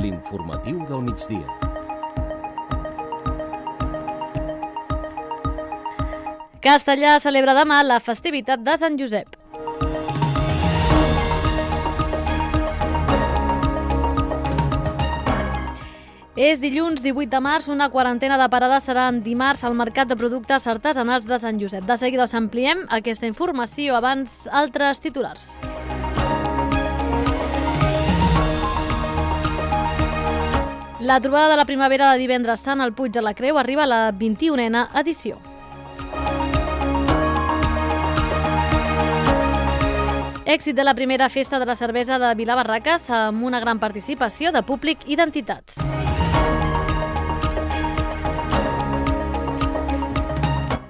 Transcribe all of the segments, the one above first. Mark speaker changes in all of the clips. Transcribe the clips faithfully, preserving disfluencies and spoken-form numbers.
Speaker 1: L'informatiu del migdia.
Speaker 2: Castellà celebra demà la festivitat de Sant Josep. És dilluns divuit de març, una quarantena de parades seran dimarts al Mercat de Productes Artesanals de Sant Josep. De seguida us ampliem aquesta informació, abans altres titulars. La trobada de la primavera de divendres sant al Puig de la Creu arriba a la vint-i-unena edició. Èxit de la primera festa de la cervesa de Vilabarraques amb una gran participació de públic i d'entitats.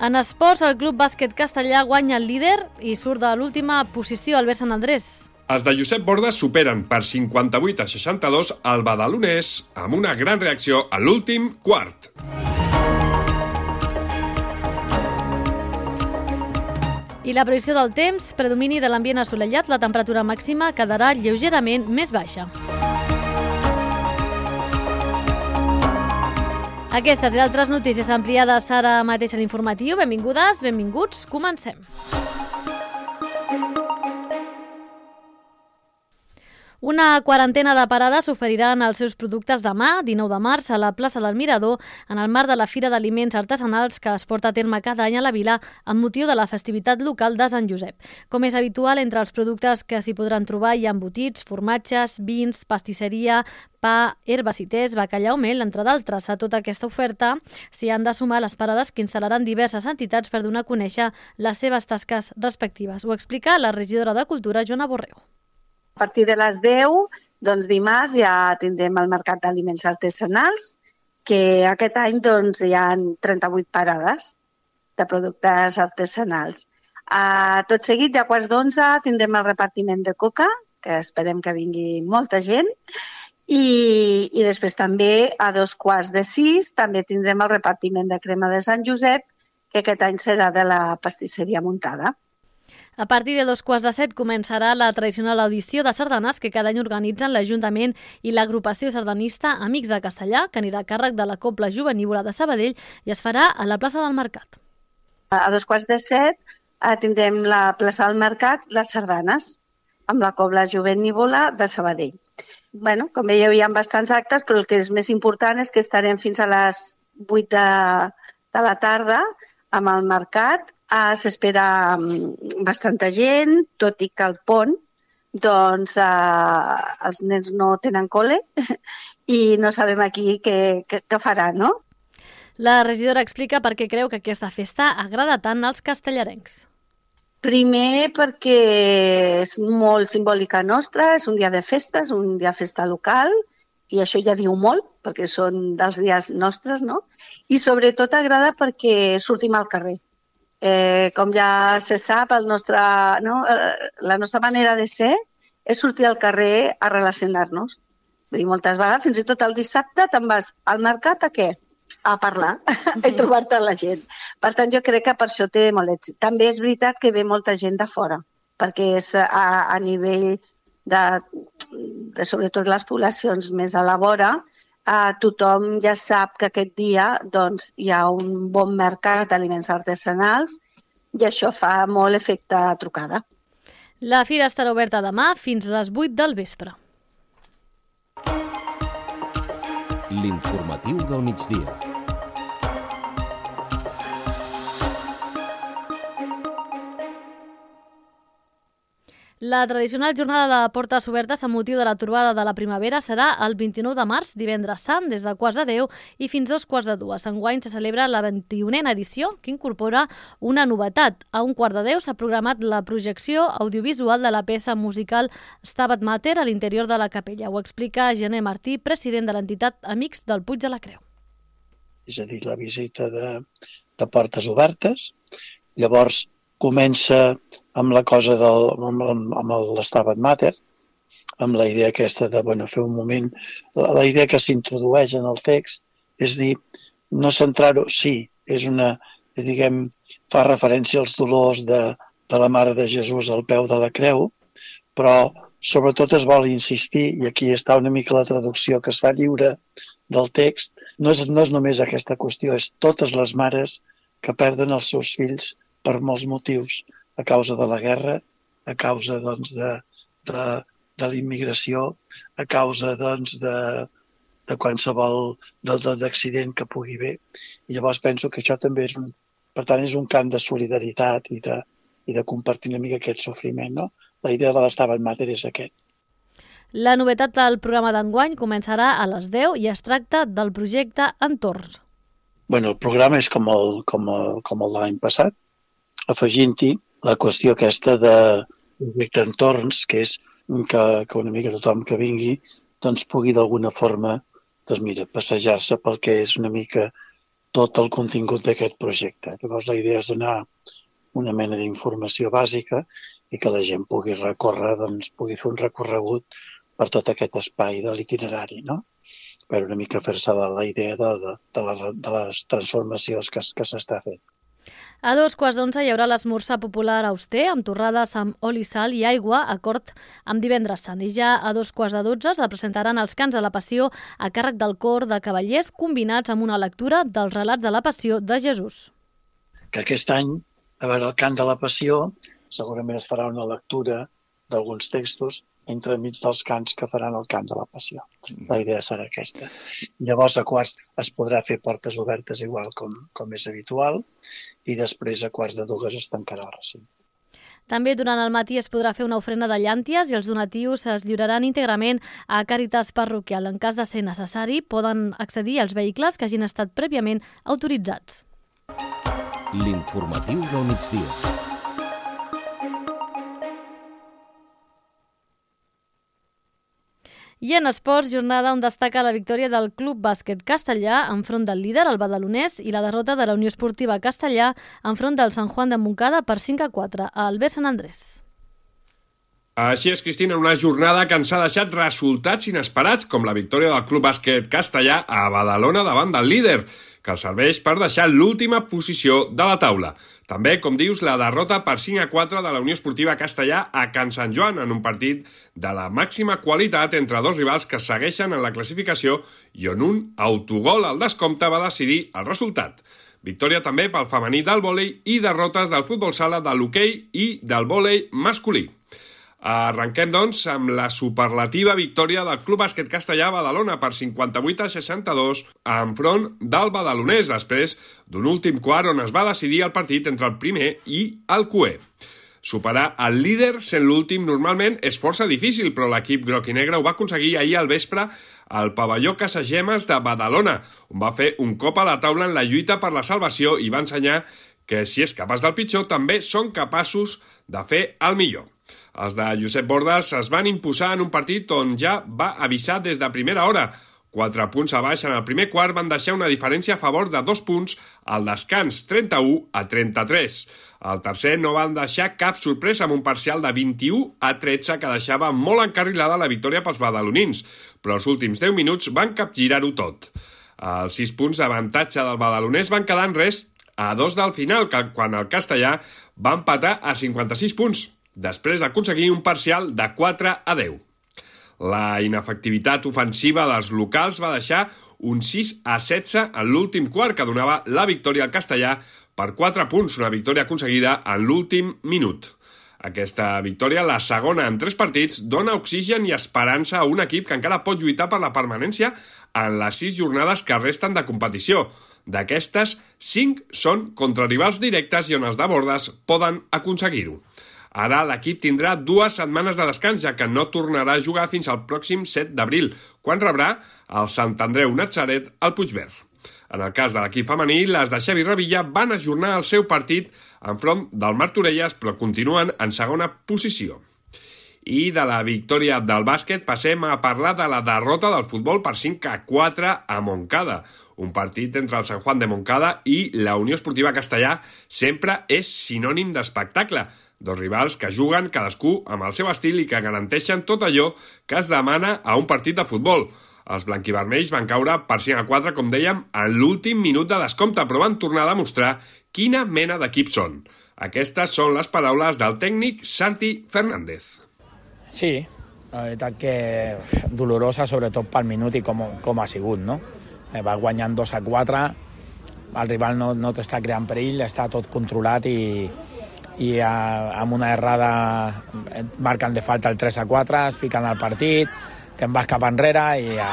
Speaker 2: En esports, el Club Bàsquet Castellà guanya el líder i surt de l'última posició Albert Sant Andrés.
Speaker 3: Els de Josep Bordes superen per cinquanta-vuit a seixanta-dos el badalonès amb una gran reacció a l'últim quart.
Speaker 2: I la previsió del temps, predomini de l'ambient assolellat, la temperatura màxima quedarà lleugerament més baixa. Aquestes i altres notícies ampliades ara mateix a l'informatiu. Benvingudes, benvinguts, comencem. Una quarantena de parades oferiran els seus productes demà, dinou de març, a la plaça del Mirador, en el marc de la Fira d'Aliments Artesanals que es porta a terme cada any a la vila amb motiu de la festivitat local de Sant Josep. Com és habitual, entre els productes que s'hi podran trobar hi ha embotits, formatges, vins, pastisseria, pa, herbes i tés, bacallà o mel, entre d'altres. A tota aquesta oferta s'hi han de sumar les parades que instal·laran diverses entitats per donar a conèixer les seves tasques respectives. Ho explica la regidora de Cultura, Joana Borrego.
Speaker 4: A partir de les deu, doncs dimarts, ja tindrem el Mercat d'Aliments Artesanals, que aquest any doncs, hi ha trenta-vuit parades de productes artesanals. A tot seguit, ja a quarts d'onze, tindrem el repartiment de coca, que esperem que vingui molta gent, i, i després també a dos quarts de sis també tindrem el repartiment de crema de Sant Josep, que aquest any serà de la pastisseria muntada.
Speaker 2: A partir de dos quarts de set començarà la tradicional audició de sardanes que cada any organitzen l'Ajuntament i l'agrupació sardanista Amics de Castellà, que anirà a càrrec de la Cobla Jovenívola de Sabadell i es farà a la plaça del Mercat.
Speaker 4: A dos quarts de set tindrem la plaça del Mercat, les sardanes, amb la Cobla Jovenívola de Sabadell. Bueno, com veieu, hi ha bastants actes, però el que és més important és que estarem fins a les vuit de, de la tarda amb el mercat. Uh, S'espera um, bastanta gent, tot i que al pont doncs, uh, els nens no tenen col·le i no sabem aquí què, què, què farà, no?
Speaker 2: La regidora explica per què creu que aquesta festa agrada tant als castellarencs.
Speaker 4: Primer perquè és molt simbòlica nostra, és un dia de festa, és un dia de festa local, i això ja diu molt, perquè són dels dies nostres, no? I sobretot agrada perquè sortim al carrer. Eh, com ja se sap, el nostre, no? la nostra manera de ser és sortir al carrer a relacionar-nos. Vull dir, moltes vegades, fins i tot el dissabte, te'n vas al mercat a què? A parlar, uh-huh. i trobar-te la gent. Per tant, jo crec que per això té molt èxit. També és veritat que ve molta gent de fora, perquè és a, a nivell de, de sobretot les poblacions més a la vora, Uh, tothom ja sap que aquest dia doncs, hi ha un bon mercat d'aliments artesanals i això fa molt efecte trucada.
Speaker 2: La fira estarà oberta demà fins a les vuit del vespre.
Speaker 1: L'informatiu del migdia.
Speaker 2: La tradicional jornada de portes obertes amb motiu de la trobada de la primavera serà el vint-i-nou de març, divendres sant, des de quarts de deu i fins dos quarts de dues. Enguany se celebra la vint-i-unena edició, que incorpora una novetat. A un quart de deu s'ha programat la projecció audiovisual de la peça musical Stabat Mater a l'interior de la capella. Ho explica Gené Martí, president de l'entitat Amics del Puig de la Creu.
Speaker 5: És a dir, la visita de, de portes obertes. Llavors comença amb la cosa del, amb, amb l'Stabat Mater, amb la idea aquesta de bueno, fer un moment, la, la idea que s'introdueix en el text és dir, no centrar-ho, sí, és una, diguem, fa referència als dolors de, de la Mare de Jesús al peu de la creu, però sobretot es vol insistir, i aquí està una mica la traducció que es fa lliure del text, no és, no és només aquesta qüestió, és totes les mares que perden els seus fills per molts motius, a causa de la guerra, a causa doncs, de, de, de la immigració, a causa doncs, de, de qualsevol d'accident que pugui haver. I llavors penso que això també és un, per tant, és un camp de solidaritat i de, i de compartir una mica aquest sofriment, no? La idea de l'Estabat Mater és aquest.
Speaker 2: La novetat del programa d'enguany començarà a les deu i es tracta del projecte Entorns.
Speaker 5: Bueno, el programa és com el, com el, com el de l'any passat, afegint-hi la qüestió aquesta de projecte Entorns, que és que, que una mica tothom que vingui doncs pugui d'alguna forma doncs mira, passejar-se pel que és una mica tot el contingut d'aquest projecte. Llavors la idea és donar una mena d'informació bàsica i que la gent pugui recórrer, doncs pugui fer un recorregut per tot aquest espai de l'itinerari, no? Per una mica fer-se la, la idea de, de, de, la, de les transformacions que, que s'està fent.
Speaker 2: A dos quarts d'onze hi haurà l'esmorzar popular auster amb torrades amb oli, sal i aigua, acord amb divendres sant. I ja a dos quarts de dotze es presentaran els cants de la Passió a càrrec del cor de cavallers combinats amb una lectura dels relats de la Passió de Jesús.
Speaker 5: Que aquest any, a veure, el cant de la Passió, segurament es farà una lectura d'alguns textos entremig dels cants que faran el cant de la Passió. La idea serà aquesta. Llavors, a quarts es podrà fer portes obertes igual com, com és habitual i després a quarts de dues es tancarà el recinte.
Speaker 2: També durant el matí es podrà fer una ofrena de llànties i els donatius es lliuraran íntegrament a Càritas Parroquial. En cas de ser necessari, poden accedir als vehicles que hagin estat prèviament autoritzats.
Speaker 1: L'informatiu del migdia.
Speaker 2: I en esports, jornada on destaca la victòria del Club Bàsquet Castellà enfront del líder, el badalonès, i la derrota de la Unió Esportiva Castellà enfront del Sant Juan de Montcada per cinc a quatre a Albert Sant Andrés.
Speaker 3: Així és, Cristina, una jornada que ens ha deixat resultats inesperats, com la victòria del Club Bàsquet Castellà a Badalona davant del líder, que els serveix per deixar l'última posició de la taula. També, com dius, la derrota per cinc a quatre de la Unió Esportiva Castellà a Can Sant Joan en un partit de la màxima qualitat entre dos rivals que segueixen en la classificació i on un autogol al descompte va decidir el resultat. Victòria també pel femení del vòlei i derrotes del futbol sala, de l'hoquei i del vòlei masculí. Arrenquem, doncs, amb la superlativa victòria del Club Bàsquet Castellà a Badalona per cinquanta-vuit a seixanta-dos enfront del badalonès, després d'un últim quart on es va decidir el partit entre el primer i el cuer. Superar el líder sent l'últim normalment és força difícil, però l'equip groc i negre ho va aconseguir ahir al vespre al pavelló Casagemes de Badalona, on va fer un cop a la taula en la lluita per la salvació i va ensenyar que si és capaç del pitjor també són capaços de fer el millor. Els de Josep Bordes es van imposar en un partit on ja va avisar des de primera hora. Quatre punts a baix en el primer quart van deixar una diferència a favor de dos punts al descans, trenta-u a trenta-tres. Al tercer no van deixar cap sorpresa amb un parcial de vint-i-u a tretze que deixava molt encarrilada la victòria pels badalonins, però els últims deu minuts van capgirar-ho tot. Els sis punts d'avantatge del badalonès van quedar en res a dos del final, quan el castellà va empatar a cinquanta-sis punts, després d'aconseguir un parcial de quatre a deu. La inefectivitat ofensiva dels locals va deixar un sis a setze en l'últim quart, que donava la victòria al castellà per quatre punts, una victòria aconseguida en l'últim minut. Aquesta victòria, la segona en tres partits, dona oxigen i esperança a un equip que encara pot lluitar per la permanència en les sis jornades que resten de competició. D'aquestes, cinc són contra rivals directes i on els de Bordes poden aconseguir-ho. Ara l'equip tindrà dues setmanes de descans, ja que no tornarà a jugar fins al pròxim set d'abril, quan rebrà el Sant Andreu Natzaret al Puigverd. En el cas de l'equip femení, les de Xavi Revilla van ajornar el seu partit enfront del Martorelles, però continuen en segona posició. I de la victòria del bàsquet passem a parlar de la derrota del futbol per cinc a quatre a Montcada. Un partit entre el Sant Juan de Montcada i la Unió Esportiva Castellà sempre és sinònim d'espectacle. Dos rivals que juguen cadascú amb el seu estil i que garanteixen tot allò que es demana a un partit de futbol. Els blanquivermells van caure per cinc a quatre, com dèiem, en l'últim minut de descompte, però van tornar a demostrar quina mena d'equip són. Aquestes són les paraules del tècnic Santi Fernández.
Speaker 6: Sí, La veritat que dolorosa, sobretot pel minut i com, com ha sigut, no? Eh, va guanyant dos a quatre, el rival no, no t'està creant perill, està tot controlat i, i a, amb una errada marquen de falta el tres a quatre, es fiquen al partit, te'n vas cap enrere i, a,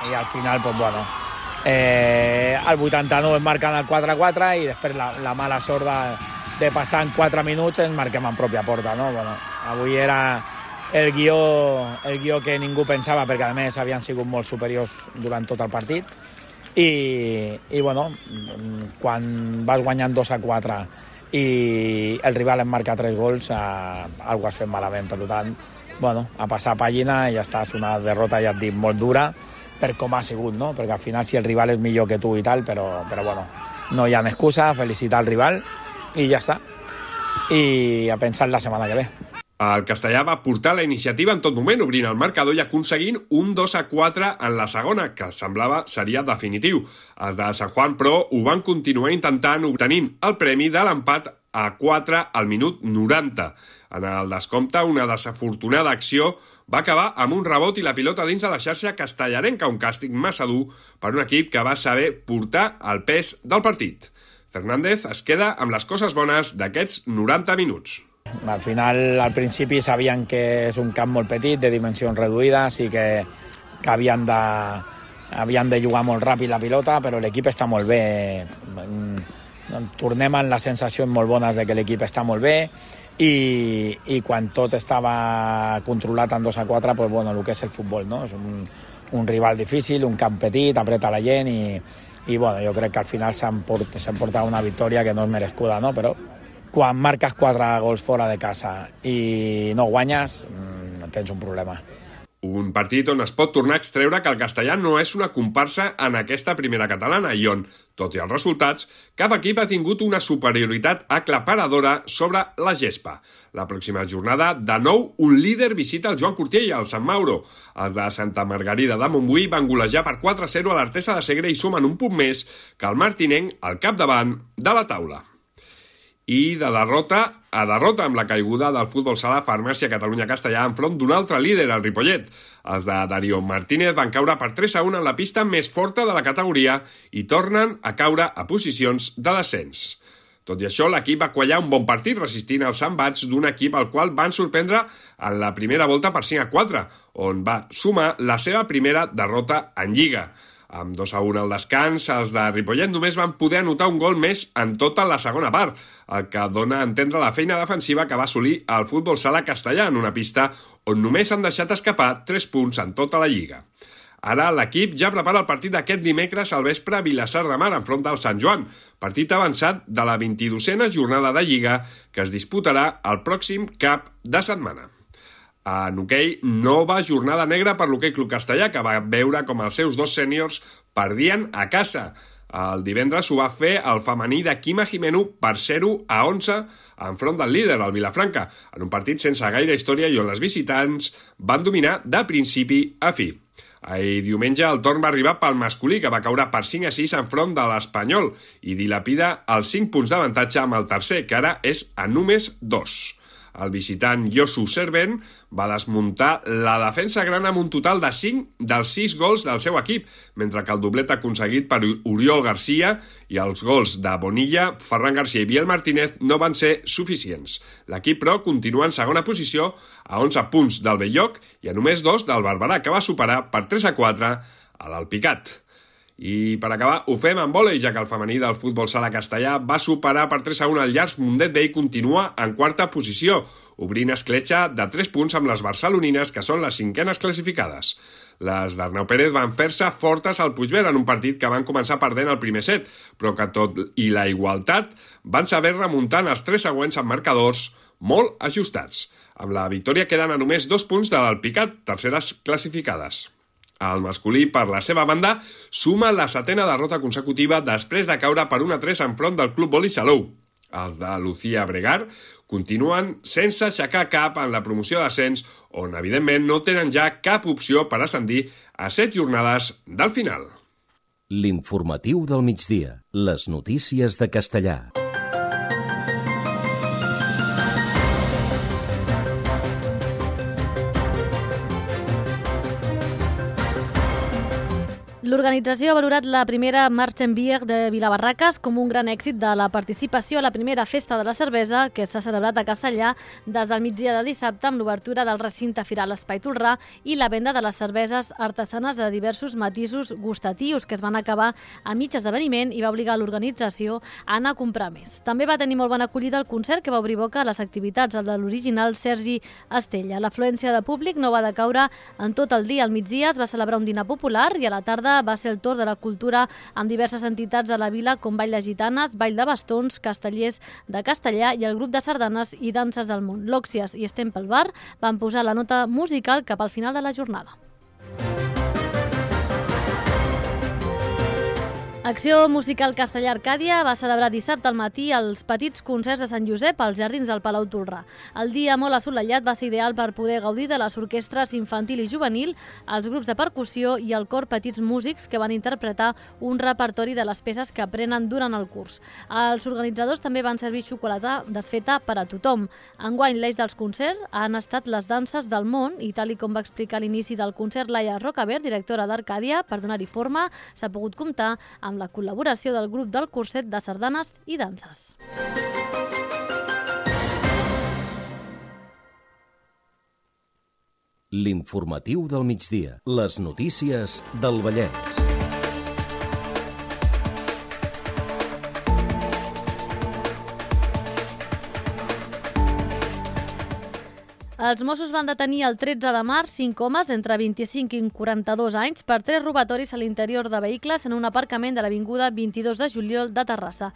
Speaker 6: i al final, pues, bueno, eh, al vuitanta-nou es marquen el quatre a quatre i després la, la mala sort de, de passar en quatre minuts ens marquem en pròpia porta, no? Bueno, avui era el guió, el guió que ningú pensava, perquè a més havien sigut molt superiors durant tot el partit i, i bueno, quan vas guanyant dos a quatre i el rival en marca tres gols, eh, algo has fet malament. Per tant, bueno, a passar pàgina i ja està. És una derrota, ja et dic, molt dura per com ha sigut, no? Perquè al final si el rival és millor que tu i tal, però, però bueno, no hi ha excusa, felicitar el rival i ja està. I a pensar la setmana que ve.
Speaker 3: El Castellà va portar la iniciativa en tot moment, obrint el marcador i aconseguint un dos a quatre en la segona, que semblava seria definitiu. Els de Sant Juan, però, ho van continuar intentant, obtenint el premi de l'empat a quatre al minut noranta. En el descompte, una desafortunada acció va acabar amb un rebot i la pilota dins de la xarxa castellarenca, un càstig massa dur per un equip que va saber portar el pes del partit. Fernández es queda amb les coses bones d'aquests noranta minuts.
Speaker 6: Al final, al principi, sabien que és un camp molt petit, de dimensions reduïdes, i que, que havien, de, havien de jugar molt ràpid la pilota, però l'equip està molt bé. Tornem amb les sensacions molt bones de que l'equip està molt bé i, i quan tot estava controlat en dos a quatre, pues, bueno, el que és el futbol, no? És un, un rival difícil, un camp petit, apreta la gent i, i bueno, jo crec que al final s'han port, portat una victòria que no és merescuda, no? Però quan marques quatre gols fora de casa i no guanyes, tens un problema.
Speaker 3: Un partit on es pot tornar a extreure que el Castellà no és una comparsa en aquesta primera catalana i on, tot i els resultats, cap equip ha tingut una superioritat aclaparadora sobre la gespa. La pròxima jornada, de nou, un líder visita el Joan Cortiella, al Sant Mauro. Els de Santa Margarida de Montbui van golejar per quatre a zero a l'Artesa de Segre i sumen un punt més que el martinenc al capdavant de la taula. I de derrota a derrota amb la caiguda del futbol sala Farmàcia Catalunya-Castellà enfront d'un altre líder, el Ripollet. Els de Darío Martínez van caure per tres a un en la pista més forta de la categoria i tornen a caure a posicions de descens. Tot i això, l'equip va quallar un bon partit resistint els embats d'un equip al qual van sorprendre en la primera volta per cinc a quatre, on va sumar la seva primera derrota en Lliga. Amb dos a un al descans, els de Ripollet només van poder anotar un gol més en tota la segona part, el que dona a entendre la feina defensiva que va assolir el futbol sala castellà en una pista on només han deixat escapar tres punts en tota la Lliga. Ara l'equip ja prepara el partit d'aquest dimecres al vespre a Vilassar de Mar enfront del Sant Joan, partit avançat de la vint-i-dosena jornada de Lliga que es disputarà el pròxim cap de setmana. En hoquei, nova jornada negra per l'Hoquei Club Castellà, que va veure com els seus dos sèniors perdien a casa. El divendres ho va fer el femení de Quima Jimeno per zero a onze enfront del líder, el Vilafranca, en un partit sense gaire història i on les visitants van dominar de principi a fi. Ahir diumenge el torn va arribar pel masculí, que va caure per cinc a sis enfront de l'Espanyol i dilapida els cinc punts d'avantatge amb el tercer, que ara és a només dos. El visitant Josu Servent va desmuntar la defensa gran amb un total de cinc dels sis gols del seu equip, mentre que el doblet aconseguit per Oriol Garcia i els gols de Bonilla, Ferran Garcia i Biel Martínez no van ser suficients. L'equip, però, continua en segona posició a onze punts del Belloc i a només dos del Barberà, que va superar per tres a quatre a l'Alpicat. I per acabar, ho fem amb vòlei, ja que el femení del futbol sala castellà va superar per tres a un el Llars Mundet B i continua en quarta posició, obrint escletxa de tres punts amb les barcelonines, que són les cinquenes classificades. Les d'Arnau Pérez van fer-se fortes al Puigverd en un partit que van començar perdent el primer set, però que tot i la igualtat van saber remuntar els tres següents amb marcadors molt ajustats. Amb la victòria queden a només dos punts de l'Alpicat, terceres classificades. El masculí, per la seva banda, suma la setena derrota consecutiva després de caure per un a tres enfront del Club Voli Salou. Els de Lucía Bregar continuen sense aixecar cap en la promoció d'ascens, on evidentment no tenen ja cap opció per ascendir a set jornades del final.
Speaker 1: L'informatiu del migdia. Les notícies de Castellà.
Speaker 2: L'organització ha valorat la primera Marchenbier de Vilabarraques com un gran èxit de la participació a la primera festa de la cervesa que s'ha celebrat a Castellà des del migdia de dissabte amb l'obertura del recinte firal Espai Tolrà i la venda de les cerveses artesanes de diversos matisos gustatius que es van acabar a mig esdeveniment i va obligar l'organització a anar a comprar més. També va tenir molt bona acollida el concert que va obrir boca a les activitats de l'original Sergi Estella. L'afluència de públic no va decaure en tot el dia. Al migdia es va celebrar un dinar popular i a la tarda va ser el torn de la cultura amb diverses entitats a la vila com Ball de Gitanes, Ball de Bastons, Castellers de Castellà i el grup de sardanes i danses del món. L'Òxies i Stempel Bar van posar la nota musical cap al final de la jornada. Acció Musical Castellà Arcàdia va celebrar dissabte al matí els petits concerts de Sant Josep als jardins del Palau Tolrà. El dia molt assolellat va ser ideal per poder gaudir de les orquestres infantil i juvenil, els grups de percussió i el cor Petits Músics que van interpretar un repertori de les peces que aprenen durant el curs. Els organitzadors també van servir xocolata desfeta per a tothom. Enguany, l'eix dels concerts han estat les danses del món i, tal i com va explicar a l'inici del concert Laia Rocabert, directora d'Arcàdia, per donar-hi forma, s'ha pogut comptar amb amb la col·laboració del grup del curset de sardanes i danses.
Speaker 1: L'informatiu del migdia. Les notícies del Vallès.
Speaker 2: Els Mossos van detenir el tretze de març cinc homes d'entre vint-i-cinc i quaranta-dos anys per tres robatoris a l'interior de vehicles en un aparcament de l'avinguda vint-i-dos de juliol de Terrassa.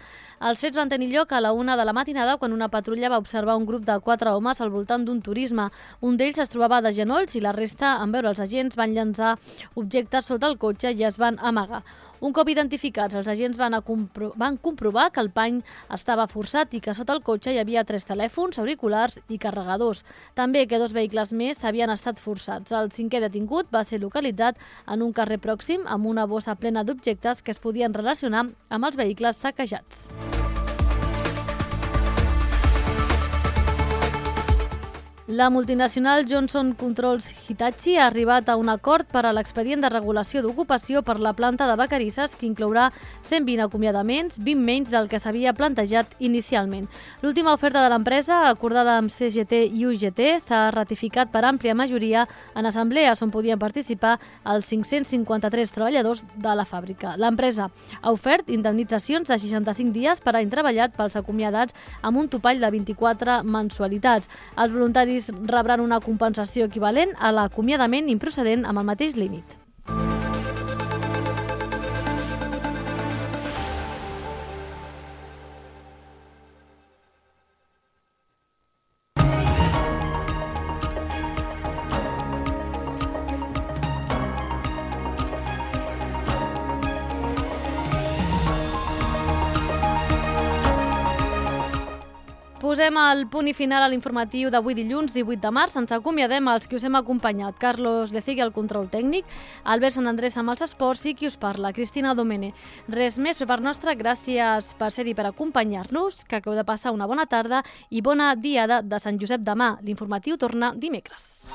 Speaker 2: Els fets van tenir lloc a la una de la matinada quan una patrulla va observar un grup de quatre homes al voltant d'un turisme. Un d'ells es trobava de genolls i la resta, en veure els agents, van llançar objectes sota el cotxe i es van amagar. Un cop identificats, els agents van, compro van comprovar que el pany estava forçat i que sota el cotxe hi havia tres telèfons, auriculars i carregadors. També que dos vehicles més havien estat forçats. El cinquè detingut va ser localitzat en un carrer pròxim amb una bossa plena d'objectes que es podien relacionar amb els vehicles saquejats. La multinacional Johnson Controls Hitachi ha arribat a un acord per a l'expedient de regulació d'ocupació per la planta de Vacarisses que inclourà cent vint acomiadaments, vint menys del que s'havia plantejat inicialment. L'última oferta de l'empresa, acordada amb C G T i U G T, s'ha ratificat per àmplia majoria en assemblees on podien participar els cinc-cents cinquanta-tres treballadors de la fàbrica. L'empresa ha ofert indemnitzacions de seixanta-cinc dies per any treballat pels acomiadats amb un topall de vint-i-quatre mensualitats. Els voluntaris rebran una compensació equivalent a l'acomiadament improcedent amb el mateix límit. Posem el punt i final a l'informatiu d'avui dilluns, divuit de març. Ens acomiadem els que us hem acompanyat. Carlos Lecegui al control tècnic, Albert Sant Andrés amb els esports i qui us parla, Cristina Domene. Res més per part nostra, gràcies per ser-hi, per acompanyar-nos, que acabeu de passar una bona tarda i bona diada de Sant Josep demà. L'informatiu torna dimecres.